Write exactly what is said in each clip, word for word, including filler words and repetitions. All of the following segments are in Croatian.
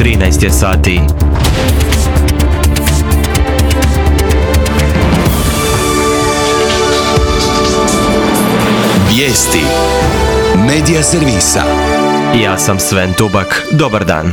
trinaest je sati. Vijesti Medija servisa. Ja sam Sven Tubak. Dobar dan.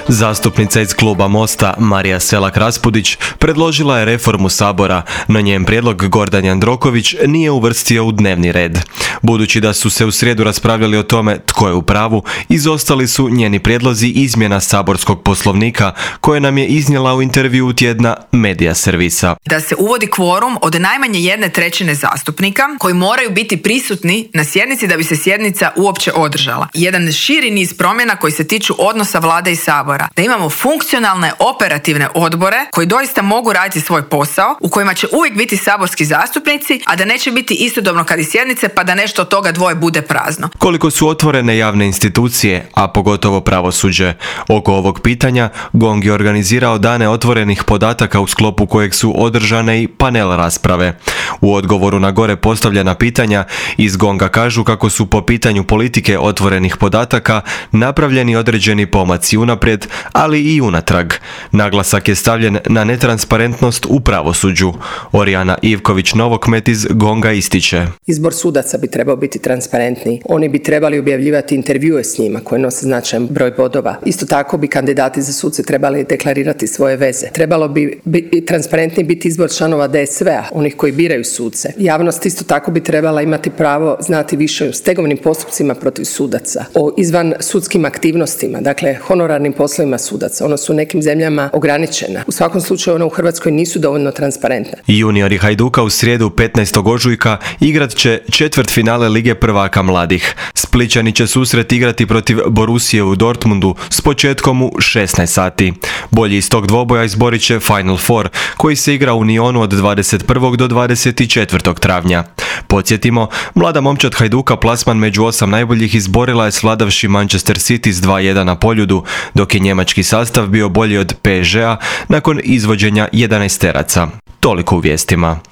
Zastupnica iz kluba Mosta Marija Selak Raspudić predložila je reformu Sabora, no njen prijedlog Gordan Jandroković nije uvrstio u dnevni red. Budući da su se u srijedu raspravljali o tome tko je u pravu, izostali su njeni prijedlozi izmjena saborskog poslovnika koje nam je iznijela u intervjuu tjedna Medija servisa. Da se uvodi kvorum od najmanje jedne trećine zastupnika koji moraju biti prisutni na sjednici da bi se sjednica uopće održala. Jedan širi niz promjena koji se tiču odnosa vlade i Sabora. Da imamo funkcionalne operativne odbore koji doista mogu raditi svoj posao, u kojima će uvijek biti saborski zastupnici, a da neće biti istodobno kad i sjednice pa da nešto od toga dvoje bude prazno. Koliko su otvorene javne institucije, a pogotovo pravosuđe? Oko ovog pitanja GONG je organizirao dane otvorenih podataka u sklopu kojeg su održane i panel rasprave. U odgovoru na gore postavljena pitanja iz GONGA kažu kako su po pitanju politike otvorenih podataka napravljeni određeni pomaci unaprijed, ali i unatrag. Naglasak je stavljen na netransparentnost u pravosuđu. Orijana Ivković-Novokmet iz GONGA ističe. Izbor sudaca bi trebao biti transparentniji. Oni bi trebali objavljivati intervjue s njima koje nose značajan broj bodova. Isto tako bi kandidati za suce trebali deklarirati svoje veze. Trebalo bi, bi transparentniji biti izbor članova D S V-a, onih koji biraju suce. Javnost isto tako bi trebala imati pravo znati više o stegovnim postupcima protiv sudaca, o izvan sudskim aktivnostima, dakle honorarnim poslovima sudaca. Ono su u nekim zemljama ograničena. U svakom slučaju ona u Hrvatskoj nisu dovoljno transparentna. Juniori Hajduka u srijedu petnaestog ožujka igrat će četvrtfinale Lige prvaka mladih. Splićani će susret igrati protiv Borussije u Dortmundu s početkom u šesnaest sati. Bolji iz tog dvoboja izborit će Final Four, koji se igra u Nionu od dvadeset prvog do dvadeset četvrtog travnja. Podsjetimo, mlada momčad Hajduka plasman među osam najboljih izborila je svladavši Manchester City s dva jedan na Poljudu, dok je njemački sastav bio bolji od P S G-a nakon izvođenja jedanaesteraca. Toliko u vijestima.